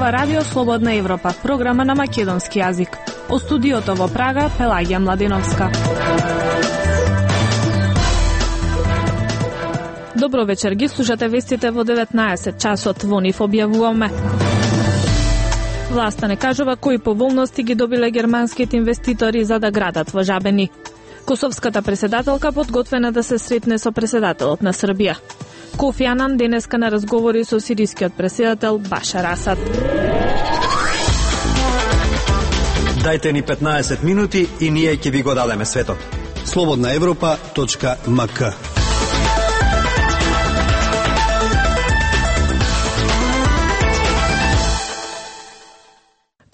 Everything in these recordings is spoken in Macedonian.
Ова радио Слободна Европа, програма на македонски јазик. О студиото во Прага, Пелагија Младеновска. Добро вечер, ги слушате вестите во 19 часот, во нив објавуваме. Власта не кажува кои поволности ги добиле германските инвеститори за да градат во Жабени. Косовската преседателка подготвена да се сретне со преседателот на Србија. Кофи Анан денеска на разговори со сирискиот преседател Башар Асад. Дајте ни 15 минути и ние ќе ви го дадеме светот. slobodnaevropa.mk.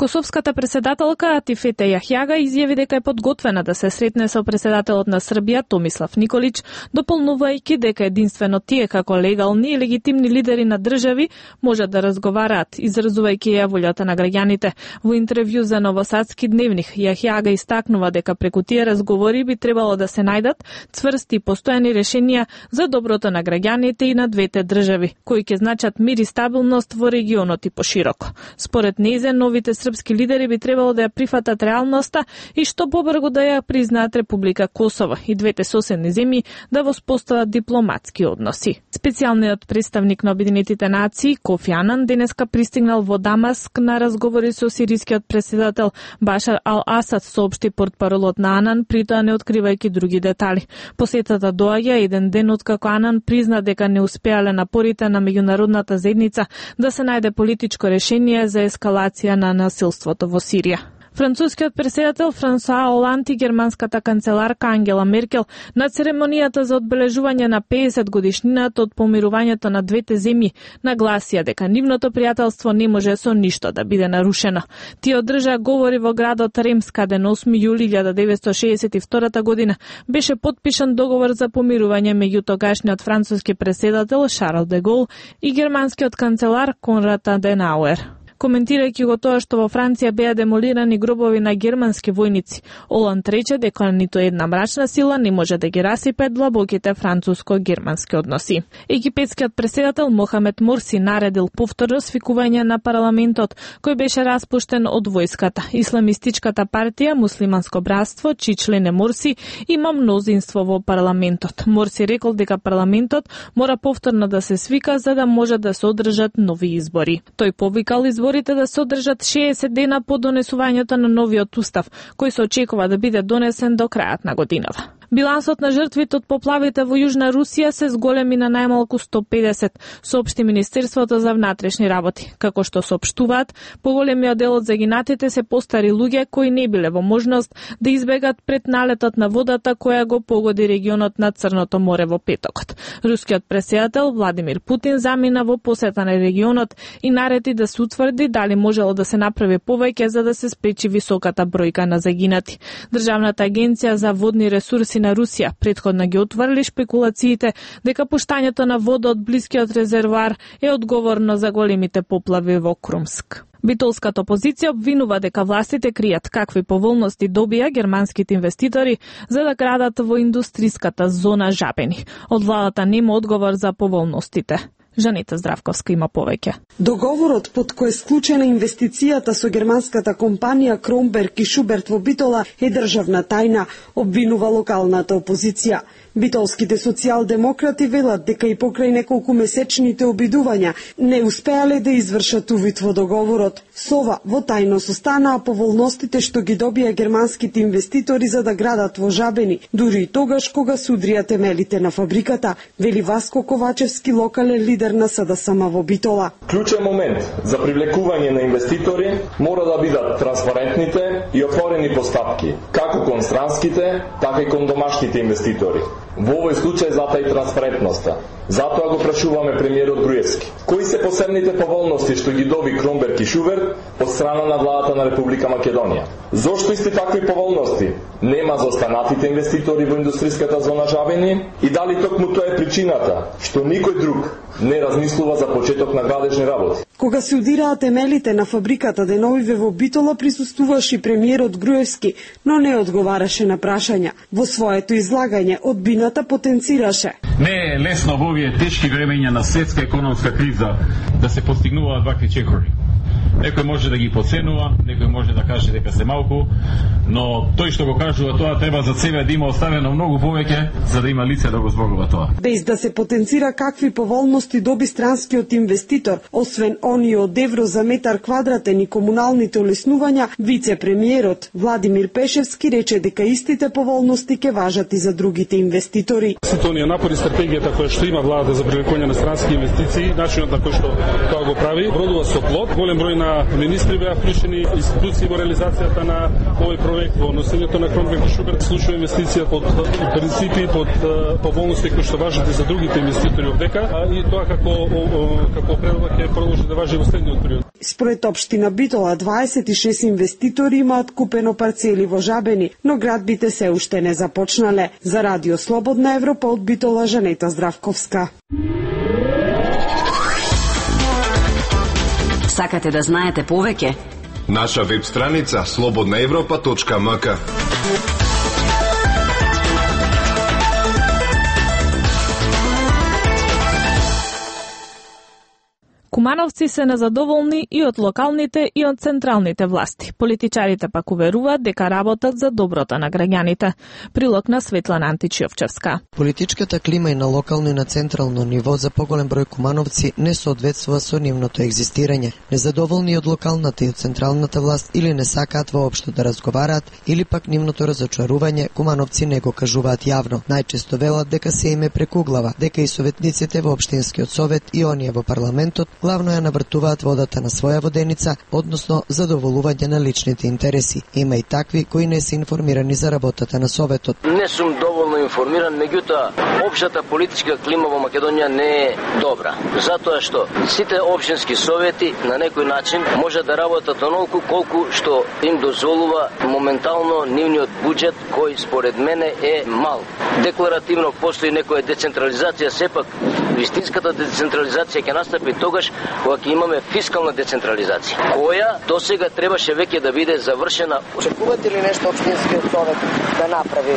Косовската преседателка Атифете Јахјага изјави дека е подготвена да се сретне со преседателот на Србија Томислав Николич, дополнувајќи дека единствено тие како легални и легитимни лидери на држави можат да разговараат, изразувајќи ја волјата на граѓаните. Во интервју за Новосадски дневник, Јахјага истакнува дека преку тие разговори би требало да се најдат цврсти и постојани решенија за доброто на граѓаните и на двете држави, кои ќе значат мир и стабилност во регионот и пошироко. Според нејзе, новите српски лидери би требало да ја прифатат реалноста и што побрзо да ја признаат Република Косово и двете соседни земји да воспостават дипломатски односи. Специјалниот представник на Обединетите нации Кофи Анан денеска пристигнал во Дамаск на разговори со сирискиот преседател Башар ал-Асад, соопшти портпаролот на Анан, притоа не откривајќи други детали. Посетата доаѓа еден ден откако Анан призна дека не успеале напорите на меѓународната заедница да се најде политичко решение за ескалација на насилството во Сирија. Францускиот преседател Франсуа Оланд и германската канцеларка Ангела Меркел на церемонијата за одбележување на 50 годишнината од помирувањето на двете земји нагласија дека нивното пријателство не може со ништо да биде нарушено. Тие одржаа говори во градот Ремс, каде на 8 јули 1962 година беше подпишан договор за помирување меѓу тогашниот француски преседател Шарл де Гол и германскиот канцелар Конрад Аденауер. Коментирајќи го тоа што во Франција беа демолирани гробови на германски војници, Оланд рече дека ниту една мрачна сила не може да ги расипе длабоките француско-германски односи. Египетскиот преседател Мохамед Морси наредил повторно свикување на парламентот, кој беше распуштен од војската. Исламистичката партија Муслиманско братство, чии член е Морси, има мнозинство во парламентот. Морси рекол дека парламентот мора повторно да се свика за да може да се одржат нови избори. Тој повикал изборите да се одржат 60 дена по донесувањето на новиот устав, кој се очекува да биде донесен до крајот на годинава. Билансот на жртвите од поплавите во Јужна Русија се зголеми на најмалку 150, соопшти Министерството за внатрешни работи. Како што соопштуваат, поголемиот дел од загинатите се постари луѓе кои не биле во можност да избегат пред налетот на водата која го погоди регионот на Црното море во петокот. Рускиот преседател Владимир Путин замина во посета на регионот и нареди да се утврди дали можело да се направи повеќе за да се спречи високата бројка на загинати. Државната агенција за водни ресурси на Русија претходно ги отврли шпекулациите дека пуштањето на вода од блискиот резервоар е одговорно за големите поплави во Крумск. Битолската опозиција обвинува дека властите кријат какви поволности добија германските инвеститори за да градат во индустриската зона Жабени. Од владата нема одговор за поволностите. Жанета Здравковска има повеќе. Договорот под кој е склучена инвестицијата со германската компанија Кромберг и Шуберт во Битола е државна тајна, обвинува локалната опозиција. Битолските социјалдемократи велат дека и покрај неколку месечните обидувања не успеале да извршат увид во договорот. Сова во тајност останаа поволностите што ги добија германските инвеститори за да градат во Жабени, дури и тогаш кога се удрија темелите на фабриката, вели Васко Ковачевски, локален лидер на СДСМ во Битола. Клучен момент за привлекување на инвеститори мора да бидат транспарентните и отворени постапки, како кон странските, така и кон домашните инвеститори. Во овој случај зата и транспарентноста. Затоа го прашуваме премиерот Груевски. Кои се посебните поволности што ги доби Кромберг и Шуберт од страна на владата на Република Македонија? Зошто исти такви поволности нема за останатите инвеститори во индустриската зона Жабени и дали токму тоа е причината што никој друг не размислува за почеток на градежни работи? Кога се удираа темелите на фабриката деновиве во Битола присуствуваше премиерот Груевски, но не одговараше на прашања. Во своето излагање одбината потенцираше. Не е лесно во овие тешки времења на светска економска криза да се постигнуваат вакви чекори. Некој може да ги подценува, некој може да каже дека се малку, но тој што го кажува тоа треба за себе да има оставено многу повеќе за да има лице да го зборува тоа. Без да се потенцира какви поволности доби странскиот инвеститор, освен оние од евро за метар квадратен и комуналните олеснувања, вице-премиерот Владимир Пешевски рече дека истите поволности ќе важат и за другите инвеститори. Сите оние напори, стратегијата која што има владата за привлекување на странски инвестиции, начинот на кој што тоа го прави, бродува со плод. Голем број на министри беа вклучени, институции во реализацијата на овој проект, во носењето на Кромберг и Шуберт, случува инвестиција под принципи, под поволности кои што важат и за другите инвеститори од дека, и тоа како предлог ќе продолжи да важи во следниот период. Според општина Битола, 26 инвеститори имаат купено парцели во Жабени, но градбите се уште не започнале. За Радио Слободна Европа од Битола, Жанета Здравковска. Сакате да знаете повеќе? Наша веб страница slobodnaevropa.mk. Кумановци се незадоволни и од локалните и од централните власти. Политичарите пак уверуваат дека работат за доброто на граѓаните. Прилог на Светлана Античиовчевска. Политичката клима и на локално и на централно ниво за поголем број кумановци не соодветствува со нивното екзистирање. Незадоволни од локалната и од централната власт или не сакаат воопшто да разговараат, или пак нивното разочарување кумановци не го кажуваат јавно. Најчесто велат дека се име прекуглава, дека и советниците во општинскиот совет и оние во парламентот главно ја навртуваат водата на своја воденица, односно задоволување на личните интереси. Има и такви кои не се информирани за работата на советот. Не сум доволно информиран, меѓутоа општата политичка клима во Македонија не е добра. Затоа што сите општински совети на некој начин може да работат онолку колку што им дозволува моментално нивниот буџет, кој според мене е мал. Декларативно постои некоја децентрализација, сепак вистинската децентрализација ќе настапи тогаш кога ќе имаме фискална децентрализација, која досега требаше веќе да биде завршена. Очекувате ли нешто општинскиот совет да направи?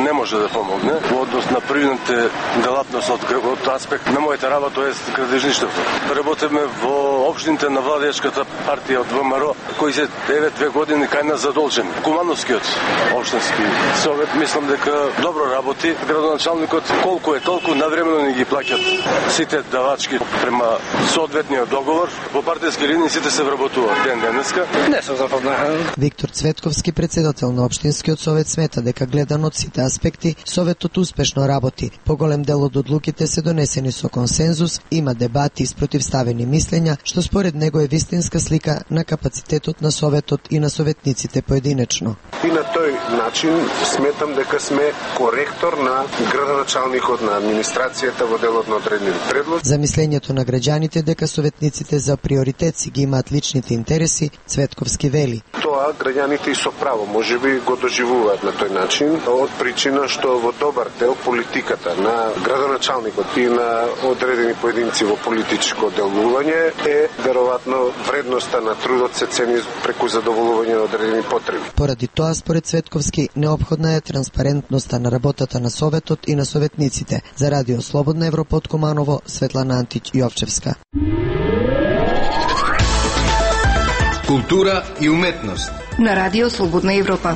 Не може да помогне во однос на привидните делатност од аспект на мојата работа, тоест градежништвото. Работиме во општините на владеечката партија од ВМРО, кои се 9 години кај нас задолжени. Кумановскиот општински совет мислам дека добро работи. Градоначалникот колку е толку навремено ни ги плаќат сите давачки према соодветниот договор. По партиски линии сите се вработуваат ден денеска. Не сум запознат. Виктор Цветковски, председател на општинскиот совет, смета дека гледано од сите аспекти советот успешно работи. Поголем дел од одлуките се донесени со консензус, има дебати и спротивставени мислења, што според него е вистинска слика на капацитетот на советот и на советниците поединечно. И на тој начин сметам дека сме коректор на градоначалникот, на администрацијата во делот на одредени предлог. За мислењето на граѓаните дека советниците за приоритет си ги имаат личните интереси, Цветковски вели. Тоа граѓаните и со право можеби го доживуваат на тој начин, од причина што во добар дел политиката на градоначалникот и на одредени поединци во политичко делување е веројатно вредноста на трудот се цени преку задоволување на одредени потреби. Поради тоа, според Цветковски, неопходна е транспарентноста на работата на советот и на советниците. За Радио Слободна Европа од Куманово, Светлана Античиовчевска. Култура и уметност на Радио Слободна Европа.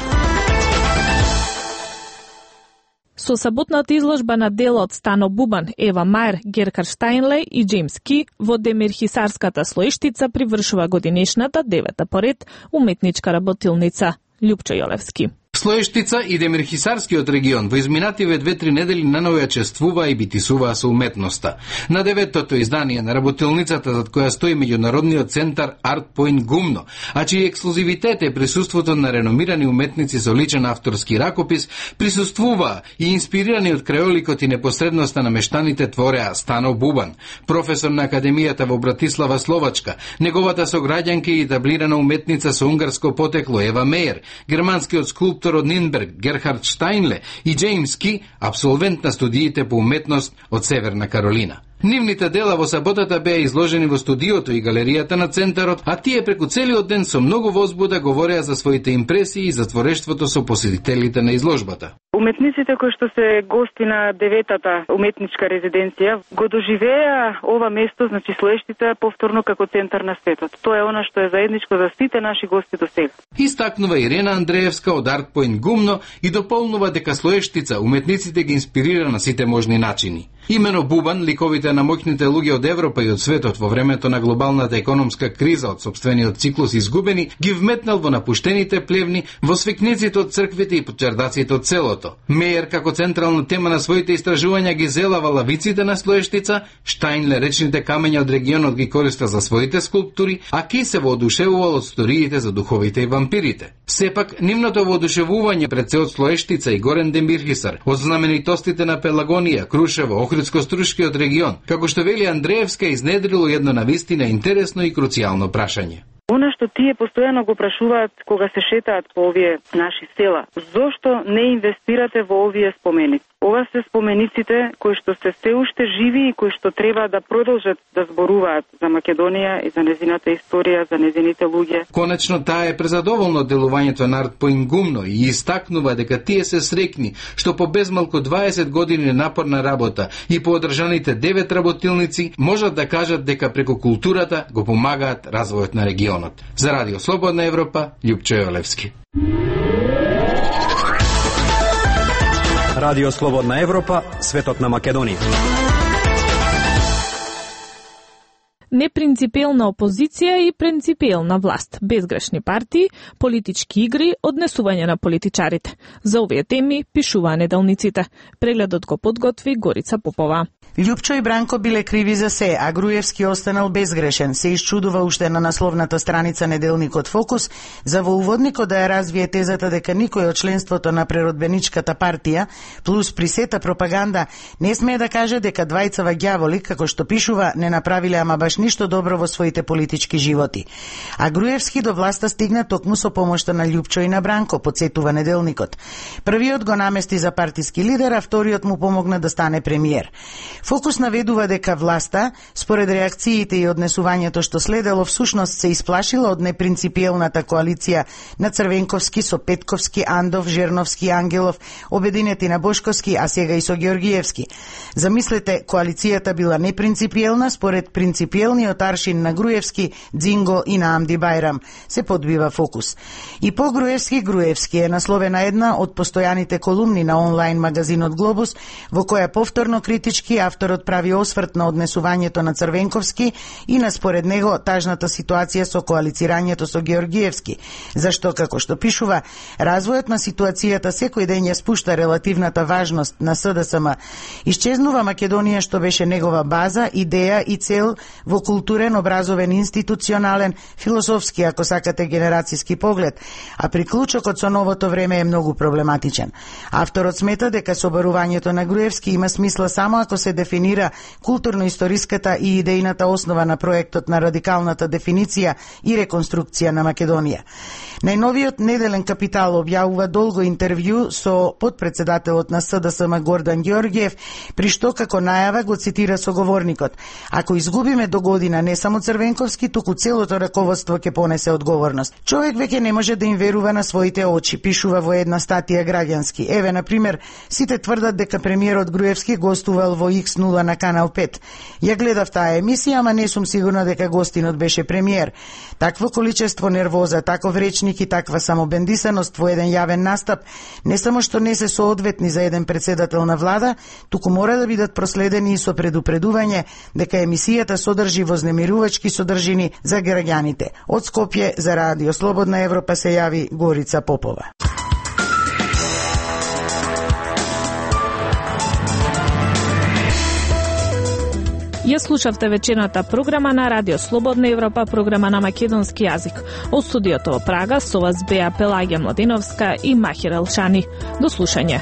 Со саботната изложба на дела од Стано Бубан, Ева Мајер, Герхард Штајнле и Джеймс Ки во Демирхисарската слоиштица привршува годинешната 9-та поред уметничка работилница. Љупчо Јолевски. Слоештица и Демирхисарскиот регион во изминативе 2-3 недели наново ја чествуваа и битисуваа со уметноста. На 9-тото издание на работилницата зад која стои меѓународниот центар Art Point Гумно, а чиј ексклузивитет е присуството на реномирани уметници со личен авторски ракопис, присуствуваа и инспирирани од крајоликот и непосредноста на мештаните твореа Стано Бубан, професор на Академијата во Братислава, Словачка, неговата сограѓанка и таблирана уметница со унгарско потекло Ева Мејер, германскиот скулптор од Нинберг Герхард Штајнле и Джеймс Ки, абсолвент на студиите по уметност од Северна Каролина. Нивните дела во саботата беа изложени во студиото и галеријата на центарот, а тие преку целиот ден со многу возбуда говореа за своите импресии и за творештвото со посетителите на изложбата. Уметниците кои што се гости на 9-та уметничка резиденција го доживеа ова место, значи Слоештица, повторно како центар на светот. Тоа е она што е заедничко за сите наши гости до сега. Истакнува Ирена Андреевска од Арт Поинт Гумно и дополнува дека Слоештица уметниците ги инспирира на сите можни начини. Имено Бубан, ликовите на моќните луѓе од Европа и од светот во времето на глобалната економска криза од сопствениот циклус изгубени, ги вметнал во напуштените плевни, во свекниците од црквите и почердаците од селото. Мејер како централна тема на своите истражувања ги зелава лавиците на Слоештица, Штајнле речните камења од регионот ги користа за своите скулптури, а Ки се воодушевувал од сториите за духовите и вампирите. Сепак, нивното воодушевување пред се од Слоештица и Горен Демирхисар, од знаменитостите на Пелагонија, Крушево, Охридско-Струшкиот регион, како што вели Андреевска, изнедрило едно навистина интересно и круцијално прашање. Она што тие постојано го прашуваат кога се шетаат по овие наши села, зошто не инвестирате во овие споменици? Ова се спомениците кои што се уште живи и кои што треба да продолжат да зборуваат за Македонија и за незината историја, за незините луѓе. Конечно, таа е презадоволна од делувањето на Арт Поинт Гумно и истакнува дека тие се срекни што по безмалку 20 години напорна работа и по одржаните 9 работилници можат да кажат дека преку културата го помагаат развојот на регионот. За Радио Слободна Европа, Љупчо Јолевски. Радио Слободна Европа, светот на Македонија. Непринципиелна опозиција и принципиелна власт, безгрешни партии, политички игри, однесување на политичарите. За овие теми пишуваа неделниците. Прегледот го подготви Горица Попова. Љупчо и Бранко биле криви за се, а Груевски останал безгрешен, се исчудува уште на насловната страница неделникот Фокус, за во уводникот да ја развие тезата дека никој од членството на преродбеничката партија, плюс при сета пропаганда, не смее да каже дека двајцава ѓаволи, како што пишува, не направиле ама баш ништо добро во своите политички животи. А Груевски до власта стигна токму со помошта на Љупчо и на Бранко, подсетува неделникот. Првиот го намести за партиски лидер, а вториот му помогна да стане премиер. Фокус наведува дека власта, според реакциите и однесувањето што следело, всушност се исплашила од непринципиелната коалиција на Црвенковски со Петковски, Андов, Жерновски, Ангелов, обединети на Бошковски, а сега и со Георгиевски. Замислете, коалицијата била непринципиелна според принципиелниот аршин на Груевски, Дзинго и на Амди Бајрам, се подбива Фокус. И по Груевски е насловена една од постојаните колумни на онлайн магазинот Глобус, во која повторно критички авторот прави осврт на однесувањето на Црвенковски и на според него тажната ситуација со коалицирањето со Георгиевски, зашто, како што пишува, развојот на ситуацијата секој ден ја спушта релативната важност на СДСМ. Исчезнува Македонија што беше негова база, идеја и цел во културен, образовен, институционален, философски, ако сакате, генерацијски поглед, а приклучокот со новото време е многу проблематичен. Авторот смета дека соборувањето на Груевски има смисла само ако се дефинира културно-историската и идејната основа на проектот на радикалната дефиниција и реконструкција на Македонија. Најновиот неделен Капитал објавува долго интервју со подпредседателот на СДСМ Гордан Ѓорѓиев, при што како најава го цитира соговорникот: "Ако изгубиме до година не само Црвенковски, туку целото раководство ќе понесе одговорност. Човек веќе не може да им верува на своите очи", пишува во една статија Граѓански. Еве, на пример, сите тврдат дека премиерот Груевски гостувал во X0 на Канал 5. Ја гледав таа емисија, ама не сум сигурна дека гостинот беше премиер. Такво количество нервоза, таков речник и таква самобендисаност во еден јавен настап не само што не се соодветни за еден председател на влада, туку мора да бидат проследени и со предупредување дека емисијата содржи вознемирувачки содржини за граѓаните. Од Скопје за Радио Слободна Европа се јави Горица Попова. Ја слушавте вечерната програма на Радио Слободна Европа, програма на македонски јазик. Од студиото во Прага со вас беа Пелагија Младиновска и Махир Елшани. До слушање.